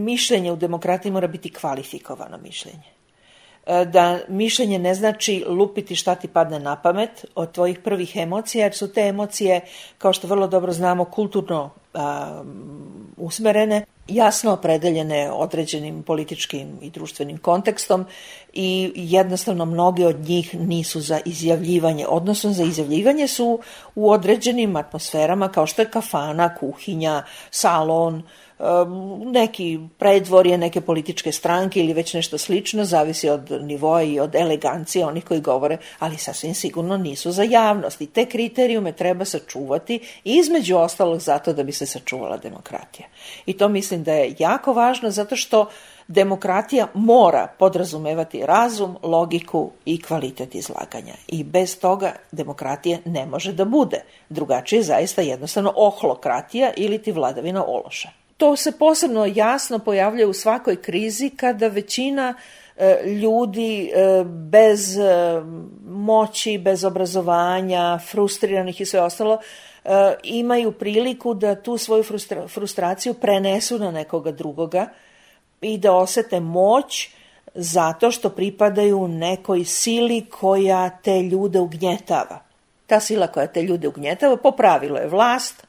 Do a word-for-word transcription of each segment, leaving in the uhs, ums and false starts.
mišljenje u demokratiji mora biti kvalifikovano mišljenje. Da mišljenje ne znači lupiti šta ti padne na pamet od tvojih prvih emocija, jer su te emocije, kao što vrlo dobro znamo, kulturno a, usmerene, jasno opredeljene određenim političkim i društvenim kontekstom i jednostavno mnoge od njih nisu za izjavljivanje, odnosno za izjavljivanje su u određenim atmosferama kao što je kafana, kuhinja, salon, neki predvorje, neke političke stranke ili već nešto slično, zavisi od nivoa i od elegancije onih koji govore, ali sasvim sigurno nisu za javnost. I te kriterijume treba sačuvati i između ostalog zato da bi se sačuvala demokratija. I to mislim da je jako važno zato što demokratija mora podrazumevati razum, logiku i kvalitet izlaganja. I bez toga demokratija ne može da bude. Drugačije je zaista jednostavno ohlokratija ili ti vladavina ološa. To se posebno jasno pojavljuje u svakoj krizi kada većina e, ljudi e, bez e, moći, bez obrazovanja, frustriranih i sve ostalo, e, imaju priliku da tu svoju frustra- frustraciju prenesu na nekoga drugoga i da osete moć zato što pripadaju nekoj sili koja te ljude ugnjetava. Ta sila koja te ljude ugnjetava po pravilu je vlast,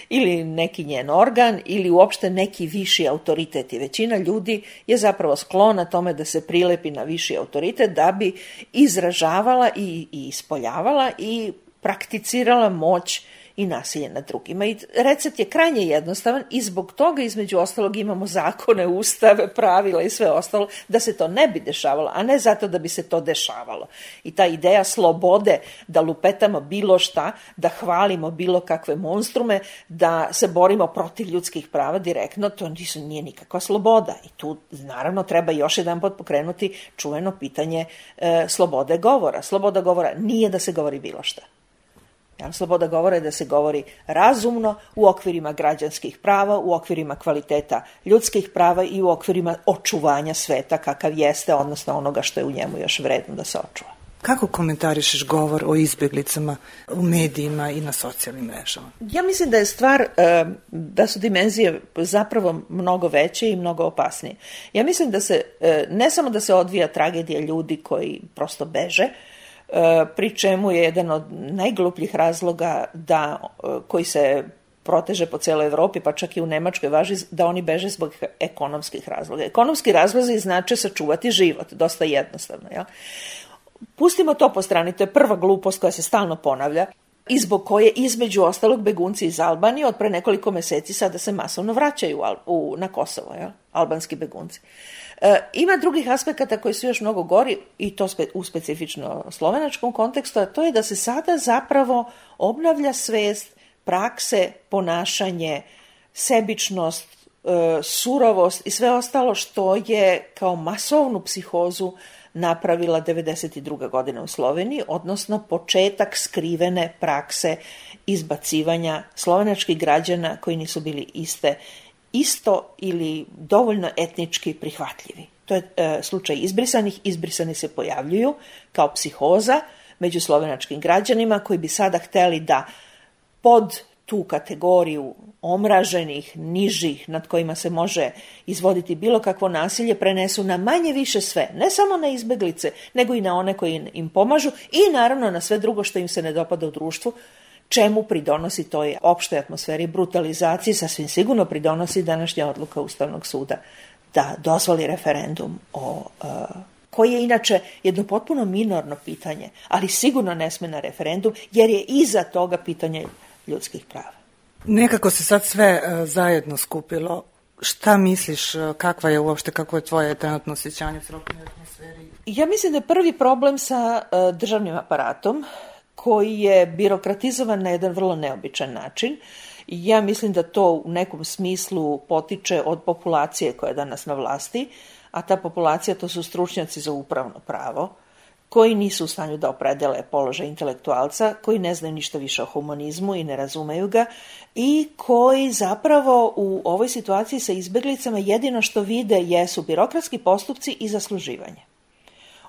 ili neki njen organ ili uopšte neki viši autoritet i većina ljudi je zapravo sklona tome da se prilepi na viši autoritet da bi izražavala i, i ispoljavala i prakticirala moć i nasilje nad drugima. I recept je krajnje jednostavan i zbog toga između ostalog imamo zakone, ustave, pravila i sve ostalo da se to ne bi dešavalo, a ne zato da bi se to dešavalo. I ta ideja slobode da lupetamo bilo šta, da hvalimo bilo kakve monstrume, da se borimo protiv ljudskih prava direktno, to nisu, nije nikakva sloboda. I tu naravno treba još jedan pot pokrenuti čuveno pitanje e, slobode govora. Sloboda govora nije da se govori bilo šta. Ja, sloboda govora je da se govori razumno u okvirima građanskih prava, u okvirima kvaliteta ljudskih prava i u okvirima očuvanja sveta kakav jeste, odnosno onoga što je u njemu još vredno da se očuva. Kako komentarišeš govor o izbjeglicama u medijima i na socijalnim mrežama? Ja mislim da je stvar, da su dimenzije zapravo mnogo veće i mnogo opasnije. Ja mislim da se, ne samo da se odvija tragedija ljudi koji prosto beže, pri čemu je jedan od najglupljih razloga da, koji se proteže po cijeloj Evropi, pa čak i u Nemačkoj važi da oni beže zbog ekonomskih razloga. Ekonomski razlozi znače sačuvati život, dosta jednostavno. Ja? Pustimo to po strani, to je prva glupost koja se stalno ponavlja i zbog koje između ostalog begunci iz Albanije od pre nekoliko meseci sada se masovno vraćaju u, na Kosovo, ja? Albanski begunci. E, ima drugih aspekata koji su još mnogo gori i to spe, u specifično slovenačkom kontekstu, a to je da se sada zapravo obnavlja svest, prakse, ponašanje, sebičnost, e, surovost i sve ostalo što je kao masovnu psihozu napravila devedeset druga godina u Sloveniji, odnosno početak skrivene prakse izbacivanja slovenačkih građana koji nisu bili iste isto ili dovoljno etnički prihvatljivi. To je e, slučaj izbrisanih. Izbrisani se pojavljuju kao psihoza među slovenačkim građanima koji bi sada hteli da pod tu kategoriju omraženih, nižih, nad kojima se može izvoditi bilo kakvo nasilje, prenesu na manje više sve, ne samo na izbeglice, nego i na one koji im pomažu i naravno na sve drugo što im se ne dopada u društvu, čemu pridonosi toj opštoj atmosferi brutalizaciji, sasvim sigurno pridonosi današnja odluka Ustavnog suda da dozvoli referendum o, uh, koji je inače jedno potpuno minorno pitanje, ali sigurno ne sme na referendum, jer je iza toga pitanje ljudskih prava. Nekako se sad sve uh, zajedno skupilo. Šta misliš, uh, kakva je uopšte, kako je tvoje trenutno osjećanje u celokupnoj atmosferi? Ja mislim da je prvi problem sa uh, državnim aparatom, koji je birokratizovan na jedan vrlo neobičan način. Ja mislim da to u nekom smislu potiče od populacije koja je danas na vlasti, a ta populacija to su stručnjaci za upravno pravo, koji nisu u stanju da opredele položaj intelektualca, koji ne znaju ništa više o humanizmu i ne razumeju ga i koji zapravo u ovoj situaciji sa izbeglicama jedino što vide jesu birokratski postupci i zasluživanje.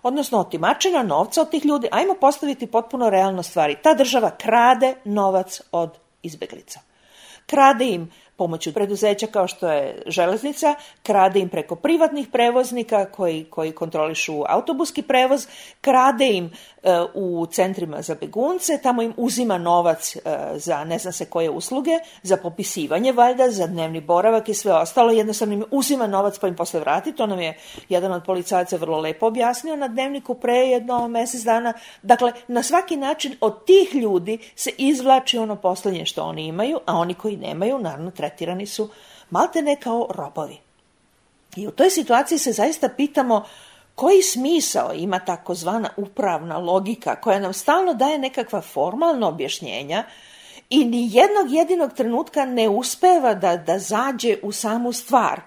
Odnosno otimačina novca od tih ljudi. Ajmo postaviti potpuno realno stvari. Ta država krade novac od izbeglica. Krade im pomoću preduzeća kao što je železnica, krade im preko privatnih prevoznika koji, koji kontrolišu autobuski prevoz, krade im e, u centrima za begunce, tamo im uzima novac e, za ne znam se koje usluge, za popisivanje valjda, za dnevni boravak i sve ostalo, jednostavno im uzima novac pa im posle vrati. To nam je jedan od policajaca vrlo lepo objasnio na Dnevniku pre jedno mjesec dana. Dakle, na svaki način od tih ljudi se izvlači ono posljednje što oni imaju, a oni koji nemaju, naravno, tretirani su maltene kao robovi. I u toj situaciji se zaista pitamo koji smisao ima takozvana upravna logika koja nam stalno daje nekakva formalna objašnjenja i ni jednog jedinog trenutka ne uspeva da, da zađe u samu stvar.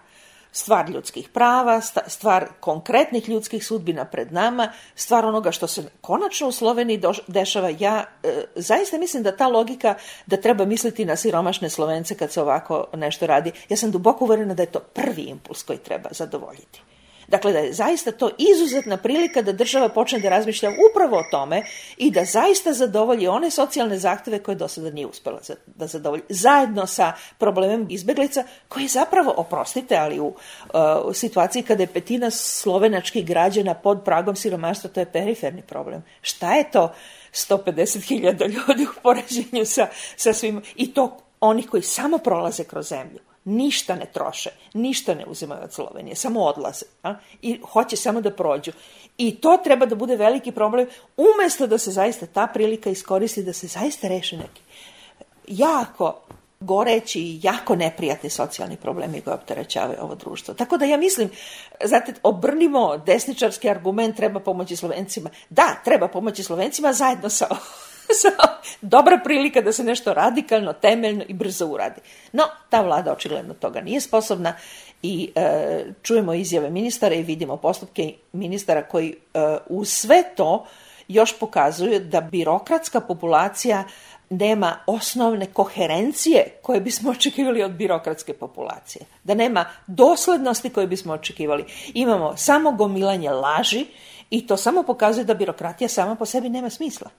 Stvar ljudskih prava, stvar konkretnih ljudskih sudbina pred nama, stvar onoga što se konačno u Sloveniji dešava. Ja e, zaista mislim da ta logika da treba misliti na siromašne Slovence kad se ovako nešto radi. Ja sam duboko uverena da je to prvi impuls koji treba zadovoljiti. Dakle, da je zaista to izuzetna prilika da država počne da razmišlja upravo o tome i da zaista zadovolji one socijalne zahteve koje do sada nije uspjela da zadovolji. Zajedno sa problemom izbeglica koji je zapravo, oprostite, ali u, uh, u situaciji kada je petina slovenačkih građana pod pragom siromaštva, to je periferni problem. Šta je to sto pedeset hiljada ljudi u poređenju sa, sa svim, i to oni koji samo prolaze kroz zemlju. Ništa ne troše, ništa ne uzimaju od Slovenije, samo odlaze a? I hoće samo da prođu. I to treba da bude veliki problem, umjesto da se zaista ta prilika iskoristi, da se zaista reši neki jako goreći i jako neprijatni socijalni problemi koji opterećavaju ovo društvo. Tako da ja mislim, znate, obrnimo desničarski argument, treba pomoći Slovencima. Da, treba pomoći Slovencima zajedno sa dobra prilika da se nešto radikalno, temeljno i brzo uradi. No, ta vlada očigledno toga nije sposobna i e, čujemo izjave ministara i vidimo postupke ministara koji e, u sve to još pokazuju da birokratska populacija nema osnovne koherencije koje bismo očekivali od birokratske populacije. Da nema doslednosti koje bismo očekivali. Imamo samo gomilanje laži i to samo pokazuje da birokratija sama po sebi nema smisla.